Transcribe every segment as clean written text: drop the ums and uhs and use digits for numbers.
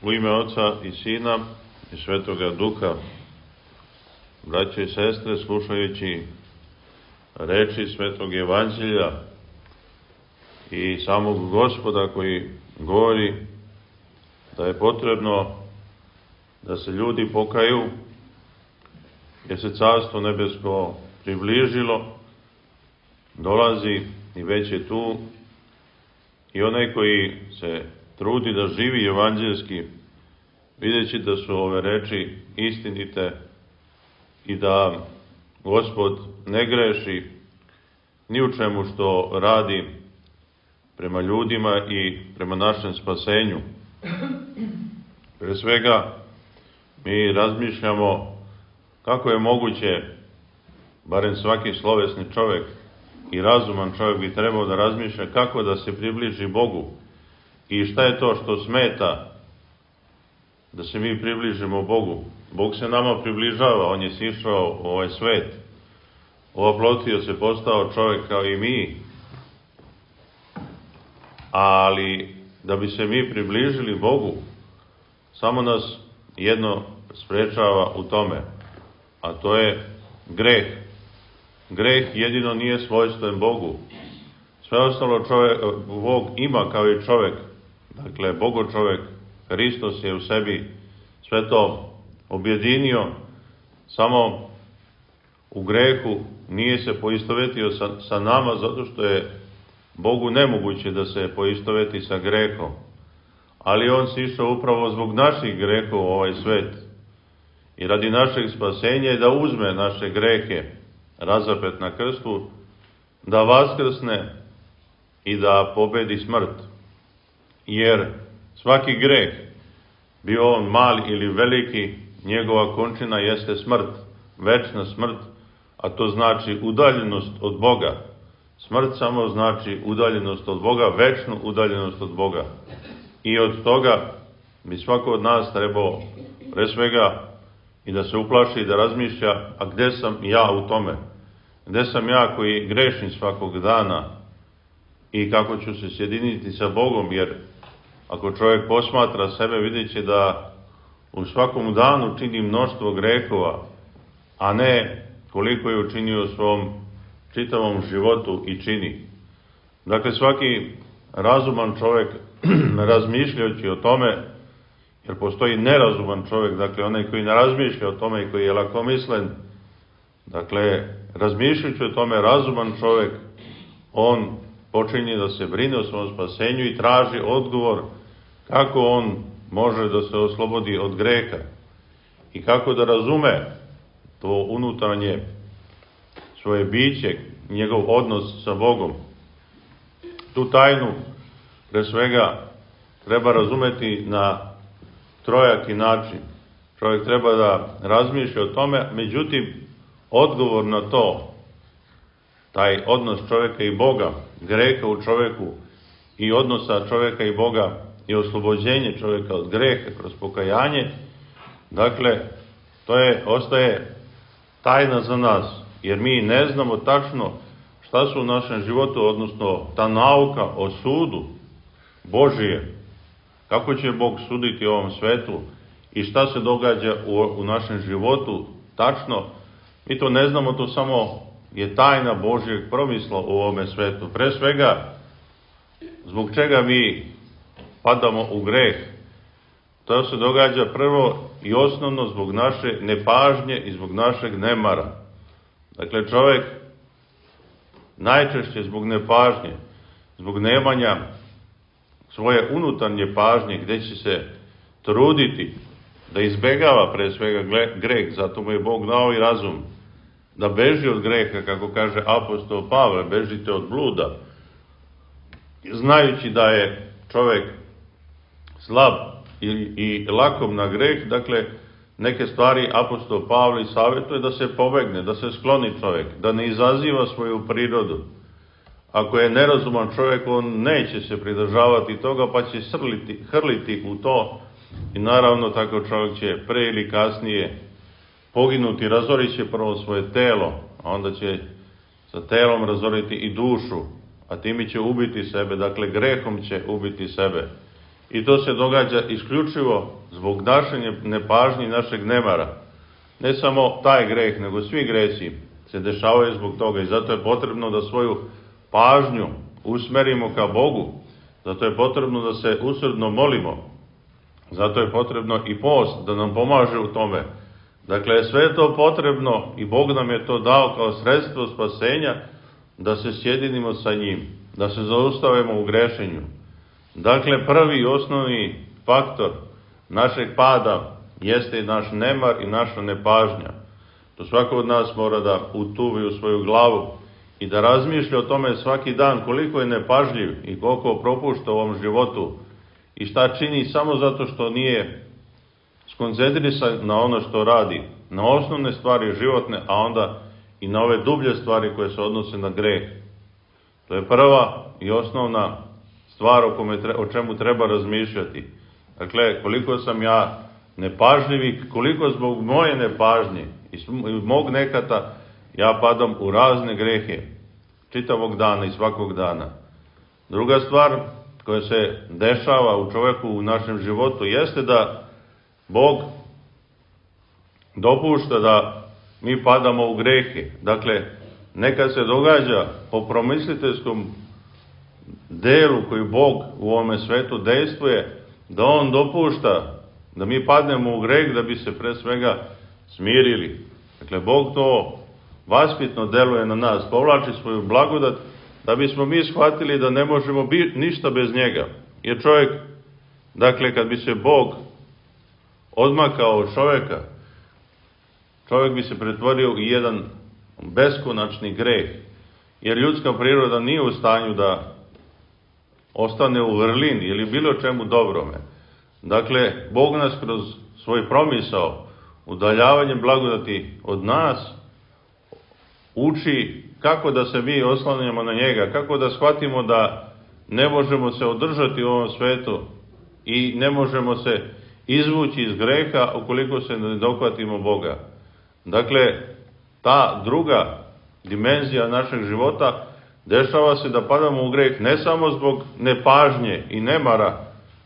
U ime Oca i Sina i Svetoga Duha, braće i sestre, slušajući reči Svetog Evanđelja i samog Gospoda koji govori da je potrebno da se ljudi pokaju, jer se Carstvo nebesko približilo, dolazi i već je tu, i onaj koji se trudi da živi evanđelski, videći da su ove reči istinite i da Gospod ne greši ni u čemu što radi prema ljudima i prema našem spasenju. Pre svega, mi razmišljamo kako je moguće, barem svaki slovesni čovjek i razuman čovjek bi trebao da razmišlja kako da se približi Bogu i šta je to što smeta da se mi približimo Bogu. Bog se nama približava, On je sišao u ovaj svet, oplotio se, postao čovjek kao i mi, ali da bi se mi približili Bogu, samo nas jedno sprečava u tome, a to je greh. Greh jedino nije svojstven Bogu. Sve ostalo Bog ima kao i čovjek. Dakle, Bogo čovjek, Hristos je u sebi sve to objedinio, samo u grehu nije se poistovetio sa nama, zato što je Bogu nemoguće da se poistoveti sa grehom. Ali On se išao upravo zbog naših grehova u ovaj svet i radi našeg spasenja i da uzme naše grehe, razapet na krstu, da vaskrsne i da pobedi smrt. Jer svaki greh, bio on mali ili veliki, njegova končina jeste smrt, večna smrt, a to znači udaljenost od Boga. Smrt samo znači udaljenost od Boga, večnu udaljenost od Boga. I od toga bi svako od nas trebao pre svega i da se uplaši i da razmišlja, a gde sam ja u tome? Gde sam ja koji grešim svakog dana i kako ću se sjediniti sa Bogom, jer ako čovjek posmatra sebe, vidjet će da u svakom danu čini mnoštvo grehova, a ne koliko je učinio u svom čitavom životu i čini. Dakle, svaki razuman čovjek, razmišljajući o tome, jer postoji nerazuman čovjek, dakle onaj koji ne razmišlja o tome i koji je lakomislen, dakle, razmišljajući o tome, razuman čovjek, on počinje da se brine o svom spasenju i traži odgovor kako on može da se oslobodi od greha i kako da razume to unutarnje svoje biće, njegov odnos sa Bogom. Tu tajnu, pre svega, treba razumeti na trojaki način. Čovjek treba da razmišlja o tome, međutim, odgovor na to, taj odnos čovjeka i Boga, greha u čovjeku i odnosa čovjeka i Boga i oslobođenje čovjeka od greha kroz pokajanje, dakle, ostaje tajna za nas, jer mi ne znamo tačno šta su u našem životu, odnosno ta nauka o sudu Božije, kako će Bog suditi u ovom svetu i šta se događa u našem životu tačno, mi to ne znamo, to samo je tajna Božjeg promisla u ovome svetu. Pre svega, zbog čega mi padamo u greh? To se događa prvo i osnovno zbog naše nepažnje i zbog našeg nemara. Dakle, čovjek najčešće zbog nepažnje, zbog nemanja svoje unutarnje pažnje, gdje će se truditi da izbegava pre svega greh, zato mu je Bog dao i razum, da beži od greha, kako kaže apostol Pavle, bežite od bluda, znajući da je čovjek slab i lakom na greh. Dakle, neke stvari apostol Pavle savjetuje da se pobegne, da se skloni čovjek, da ne izaziva svoju prirodu. Ako je nerazuman čovjek, on neće se pridržavati toga, pa će hrliti u to i naravno tako čovjek će pre ili kasnije poginuti, razorit će prvo svoje telo, a onda će sa telom razoriti i dušu, a time će ubiti sebe, dakle grehom će ubiti sebe. I to se događa isključivo zbog naše nepažnje i našeg nemara. Ne samo taj greh, nego svi gresi se dešavaju zbog toga i zato je potrebno da svoju pažnju usmerimo ka Bogu. Zato je potrebno da se usrdno molimo. Zato je potrebno i post da nam pomaže u tome. Dakle, sve je to potrebno i Bog nam je to dao kao sredstvo spasenja da se sjedinimo sa njim, da se zaustavimo u grešenju. Dakle, prvi i osnovni faktor našeg pada jeste i naš nemar i naša nepažnja. To svako od nas mora da utuvi u svoju glavu i da razmišlja o tome svaki dan koliko je nepažljiv i koliko propušta u ovom životu i šta čini samo zato što nije skoncentrisan na ono što radi, na osnovne stvari životne, a onda i na ove dublje stvari koje se odnose na greh. To je prva i osnovna stvar o čemu treba razmišljati. Dakle, koliko sam ja nepažljiv i koliko zbog moje nepažnje i mog nekata ja padam u razne grehe čitavog dana i svakog dana. Druga stvar koja se dešava u čoveku u našem životu jeste da Bog dopušta da mi padamo u grehe. Dakle, nekad se događa po promisliteljskom delu koji Bog u ovome svetu dejstvuje, da On dopušta da mi padnemo u greh da bi se pre svega smirili. Dakle, Bog to vaspitno deluje na nas, povlači svoju blagodat da bismo mi shvatili da ne možemo ništa bez njega. Jer čovjek, dakle, kad bi se Bog odmakao od čovjeka, čovjek bi se pretvorio u jedan beskonačni greh, jer ljudska priroda nije u stanju da ostane u vrlini ili bilo čemu dobrome. Dakle, Bog nas kroz svoj promisao, udaljavanjem blagodati od nas, uči kako da se mi oslanjamo na njega, kako da shvatimo da ne možemo se održati u ovom svetu i ne možemo se izvući iz greha ukoliko se ne dohvatimo Boga. Dakle, ta druga dimenzija našeg života dešava se da padamo u greh ne samo zbog nepažnje i nemara,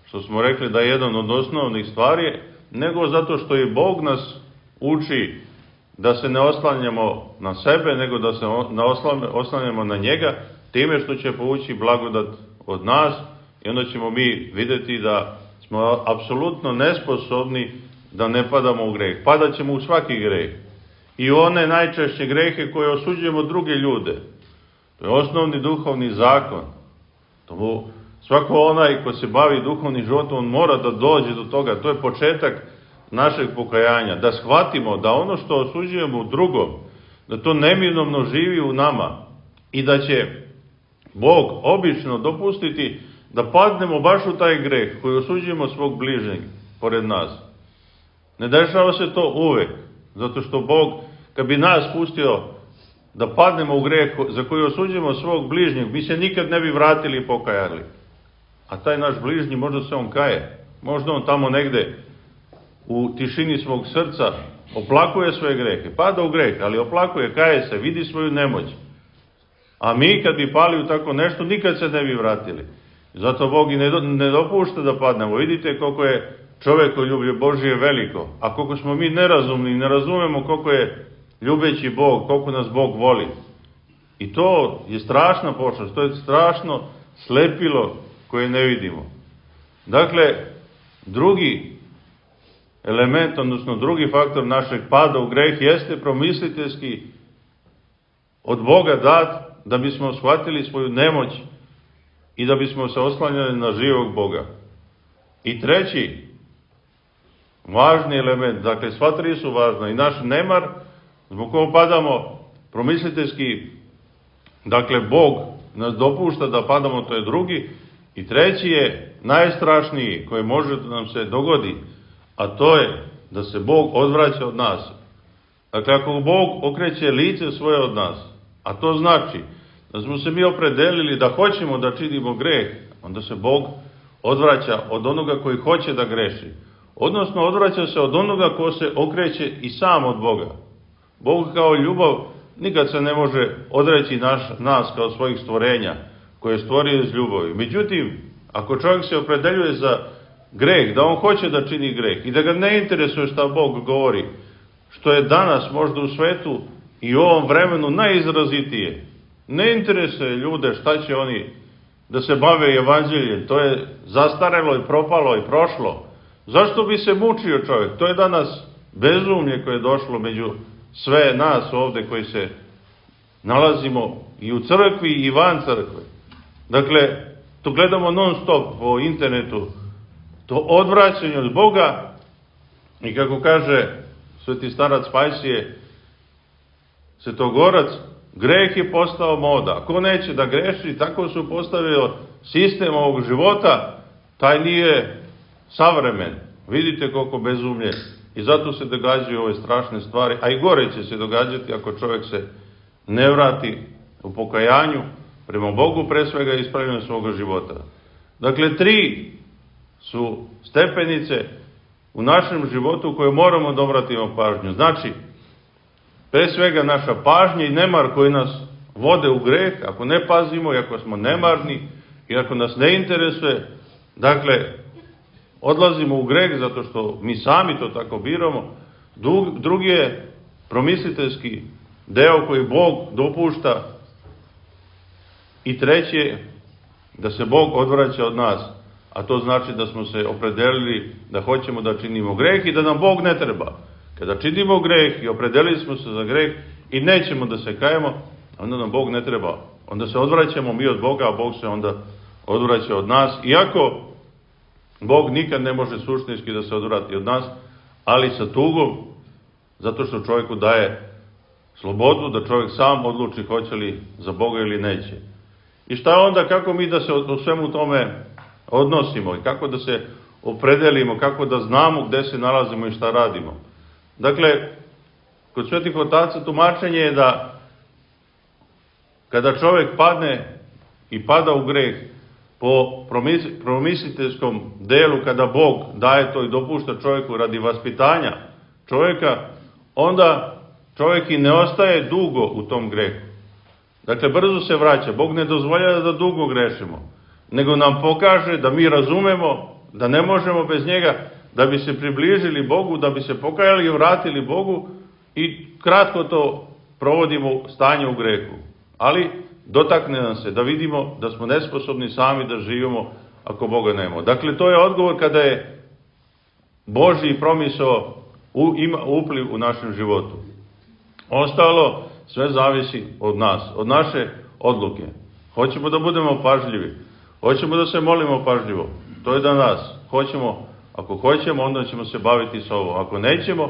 što smo rekli da je jedan od osnovnih stvari, nego zato što i Bog nas uči da se ne oslanjamo na sebe, nego da se oslanjamo na njega, time što će povući blagodat od nas i onda ćemo mi vidjeti da smo apsolutno nesposobni da ne padamo u greh. Padat ćemo u svaki greh. I one najčešće grehe koje osuđujemo druge ljude. To je osnovni duhovni zakon. Svako onaj ko se bavi duhovnim životom, on mora da dođe do toga. To je početak našeg pokajanja. Da shvatimo da ono što osuđujemo u drugom, da to neminovno živi u nama i da će Bog obično dopustiti da padnemo baš u taj greh koji osuđujemo svog bližnjeg pored nas. Ne dešava se to uvek, zato što Bog, kad bi nas pustio da padnemo u greh za koji osuđujemo svog bližnjeg, mi se nikad ne bi vratili i pokajali. A taj naš bližnji, možda se on kaje, možda on tamo negde u tišini svog srca oplakuje svoje grehe, pada u greh, ali oplakuje, kaje se, vidi svoju nemoć. A mi kad bi pali u tako nešto, nikad se ne bi vratili. Zato Bog i ne dopušta da padnemo. Vidite koliko je čovekoljublje Božije veliko, a koliko smo mi nerazumni i ne razumemo koliko je ljubeći Bog, koliko nas Bog voli. I to je strašna pošast, to je strašno slepilo koje ne vidimo. Dakle, drugi element, odnosno drugi faktor našeg pada u greh jeste promisliteljski od Boga dat da bismo shvatili svoju nemoć i da bismo se oslanjali na živog Boga. I treći važni element, dakle sva tri su važna, i naš nemar, zbog koga padamo promisliteljski, dakle Bog nas dopušta da padamo, to je drugi, i treći je najstrašniji koji može da nam se dogodi, a to je da se Bog odvraća od nas. Dakle, ako Bog okreće lice svoje od nas, a to znači da smo se mi opredelili da hoćemo da činimo greh, onda se Bog odvraća od onoga koji hoće da greši. Odnosno, odvraća se od onoga ko se okreće i sam od Boga. Bog kao ljubav nikad se ne može odreći nas kao svojih stvorenja, koje je stvorio iz ljubavi. Međutim, Ako čovjek se opredeljuje za greh, da on hoće da čini greh i da ga ne interesuje šta Bog govori, što je danas možda u svetu i u ovom vremenu najizrazitije. Ne interesuje ljude šta će oni da se bave evanđeljem, to je zastarelo i propalo i prošlo. Zašto bi se mučio čovjek? To je danas bezumlje koje je došlo među sve nas ovde koji se nalazimo i u crkvi i van crkve. Dakle, to gledamo non stop po internetu, to odvraćanje od Boga i kako kaže sveti starac Pajsije, Svetogorac, greh je postao moda. Ako neće da greši, tako su postavio sistem ovog života, taj nije savremen. Vidite koliko bezumlje. I zato se događaju ove strašne stvari, a i gore će se događati ako čovjek se ne vrati u pokajanju prema Bogu, pre svega ispravljanju svoga života. Dakle, 3 su stepenice u našem životu koje moramo da obratimo pažnju. Znači, pre svega naša pažnja i nemar koji nas vode u greh, ako ne pazimo i ako smo nemarni i ako nas ne interesuje, dakle, odlazimo u greh zato što mi sami to tako biramo. Drugi je promisliteljski deo koji Bog dopušta i treći je da se Bog odvraća od nas, a to znači da smo se opredelili da hoćemo da činimo greh i da nam Bog ne treba. Kada činimo greh i opredelili smo se za greh i nećemo da se kajemo, onda nam Bog ne treba. Onda se odvraćamo mi od Boga, a Bog se onda odvraća od nas. Iako Bog nikad ne može suštinski da se odvrati od nas, ali sa tugom, zato što čovjeku daje slobodu da čovjek sam odluči hoće li za Boga ili neće. I šta onda, kako mi da se o svemu tome odnosimo i kako da se opredelimo, kako da znamo gde se nalazimo i šta radimo. Dakle, kod svetih otaca tumačenje je da kada čovjek padne i pada u greh po promisliteljskom delu, kada Bog daje to i dopušta čovjeku radi vaspitanja čovjeka, onda čovjek i ne ostaje dugo u tom grehu. Dakle, brzo se vraća. Bog ne dozvoljava da dugo grešimo, nego nam pokaže da mi razumemo da ne možemo bez njega, da bi se približili Bogu, da bi se pokajali i vratili Bogu i kratko to provodimo stanje u grehu. Ali dotakne nam se da vidimo da smo nesposobni sami da živimo ako Boga nema. Dakle, to je odgovor kada je Božji promisao ima upliv u našem životu. Ostalo sve zavisi od nas, od naše odluke. Hoćemo da budemo pažljivi, hoćemo da se molimo pažljivo, to je da nas. Ako hoćemo, onda ćemo se baviti sa ovo. Ako nećemo,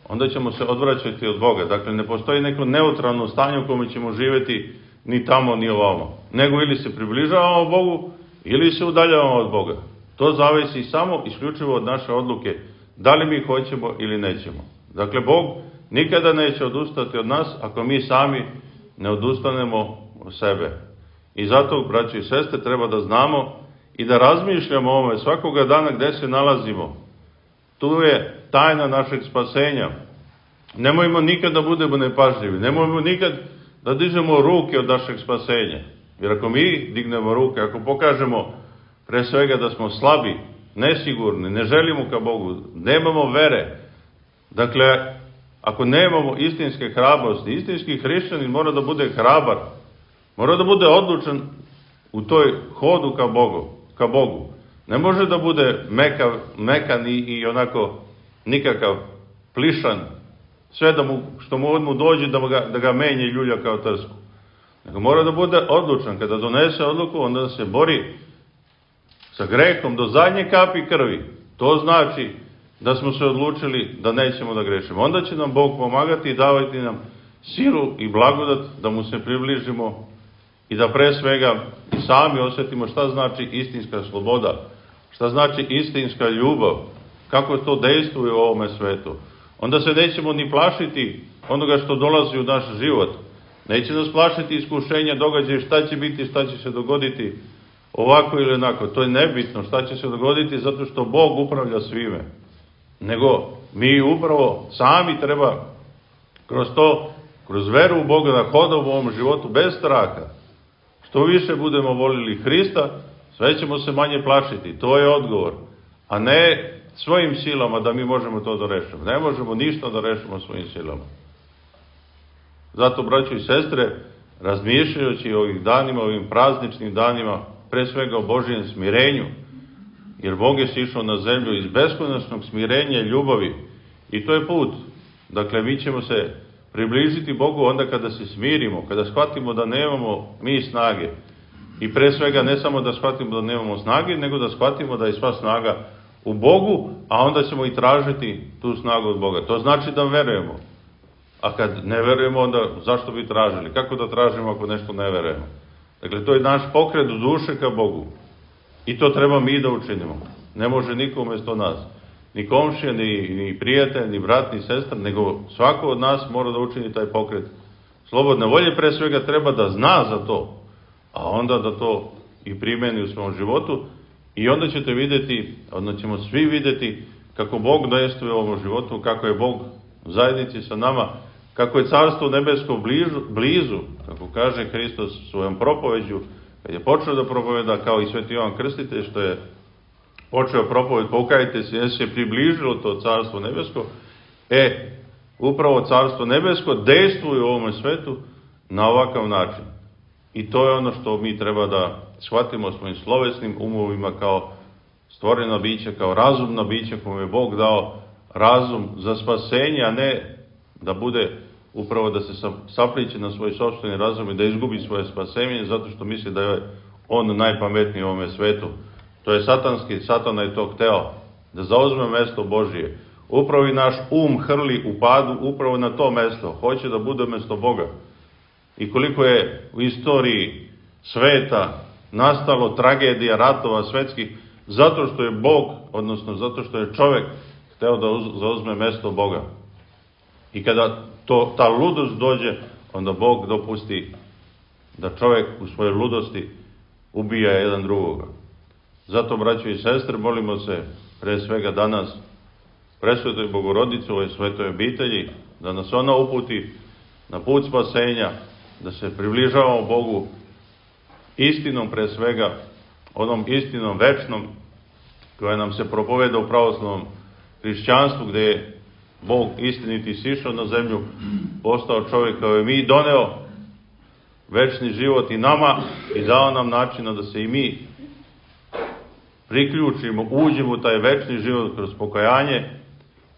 onda ćemo se odvraćati od Boga. Dakle, ne postoji neko neutralno stanje u kome ćemo živjeti ni tamo, ni ovamo. Nego ili se približavamo Bogu, ili se udaljavamo od Boga. To zavisi samo isključivo od naše odluke, da li mi hoćemo ili nećemo. Dakle, Bog nikada neće odustati od nas ako mi sami ne odustanemo od sebe. I zato, braći i sestre, treba da znamo i da razmišljamo o ovome svakoga dana gde se nalazimo. Tu je tajna našeg spasenja. Nemojmo nikad da budemo nepažljivi, nemojmo nikad da dižemo ruke od našeg spasenja. Jer ako mi dignemo ruke, ako pokažemo pre svega da smo slabi, nesigurni, ne želimo ka Bogu, nemamo vere, dakle, ako nemamo istinske hrabrosti, istinski hrišćanin mora da bude hrabar, mora da bude odlučan u toj hodu ka Bogu. Ne može da bude mekan i onako nikakav plišan, sve što mu dođe da ga menje i ljulja kao trsku. Nego mora da bude odlučan. Kada donese odluku, onda se bori sa grehom do zadnje kapi krvi. To znači da smo se odlučili da nećemo da grešimo. Onda će nam Bog pomagati i davati nam silu i blagodat da mu se približimo i da pre svega i sami osjetimo šta znači istinska sloboda, šta znači istinska ljubav, kako to dejstvuje u ovome svetu. Onda se nećemo ni plašiti onoga što dolazi u naš život. Neće nas plašiti iskušenja, događaja, šta će biti, šta će se dogoditi ovako ili onako. To je nebitno šta će se dogoditi zato što Bog upravlja svime. Nego mi upravo sami treba kroz veru u Boga da hodamo u ovom životu bez straha. Što više budemo volili Hrista, sve ćemo se manje plašiti, to je odgovor, a ne svojim silama da mi možemo to da rešimo. Ne možemo ništa da rešimo svojim silama. Zato, braćo i sestre, razmišljajući o ovih danima, ovim prazničnim danima, pre svega o Božijem smirenju, jer Bog je sišao na zemlju iz beskonačnog smirenja i ljubavi, i to je put. Dakle, mi ćemo se približiti Bogu onda kada se smirimo, kada shvatimo da nemamo mi snage. I pre svega ne samo da shvatimo da nemamo snage, nego da shvatimo da je sva snaga u Bogu, a onda ćemo i tražiti tu snagu od Boga. To znači da verujemo. A kad ne verujemo, onda zašto bi tražili? Kako da tražimo ako nešto ne verujemo? Dakle, to je naš pokret u duše ka Bogu. I to treba mi da učinimo. Ne može niko umjesto nas. Ni komšija, ni prijatelj, ni brat, ni sestra, nego svako od nas mora da učini taj pokret slobodne volje. Pre svega treba da zna za to, a onda da to i primeni u svom životu. I onda ćete vidjeti, onda ćemo svi vidjeti kako Bog dejstvuje u ovom životu, kako je Bog u zajednici sa nama, kako je Carstvo nebesko blizu, kako kaže Hristos svojom propoveđu, kad je počeo da propoveda, kao i Sveti Jovan Krstitelj, što je počeo propoved, pokajte se, jer se približilo to Carstvo nebesko, upravo Carstvo nebesko dejstvuje u ovom svetu na ovakav način. I to je ono što mi treba da shvatimo svojim slovesnim umovima kao stvorena bića, kao razumna bića kome je Bog dao razum za spasenje, a ne da bude upravo da se sapliće na svoj sopstveni razum i da izgubi svoje spasenje zato što misli da je on najpametniji u ovome svetu. To je satanski, Satana je to hteo, da zauzme mesto Božije. Upravo i naš hrli u padu upravo na to mesto, hoće da bude mesto Boga. I koliko je u istoriji sveta nastalo tragedija, ratova svetskih, zato što je Bog, odnosno zato što je čovek hteo da zauzme mesto Boga. I kada ta ludost dođe, onda Bog dopusti da čovek u svojoj ludosti ubija jedan drugoga. Zato, braćo i sestre, molimo se pre svega danas presvetoj Bogorodici, ovoj svetoj obitelji, da nas ona uputi na put spasenja, da se približavamo Bogu istinom pre svega, onom istinom večnom, koja nam se propoveda u pravoslavnom hrišćanstvu, gde je Bog istiniti sišao na zemlju, postao čovjek kao i mi, doneo večni život i nama i dao nam načina da se i mi priključimo, uđemo u taj večni život kroz pokajanje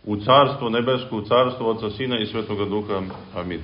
u Carstvo nebesko, u Carstvo Oca, Sina i Svetoga Duha. Amin.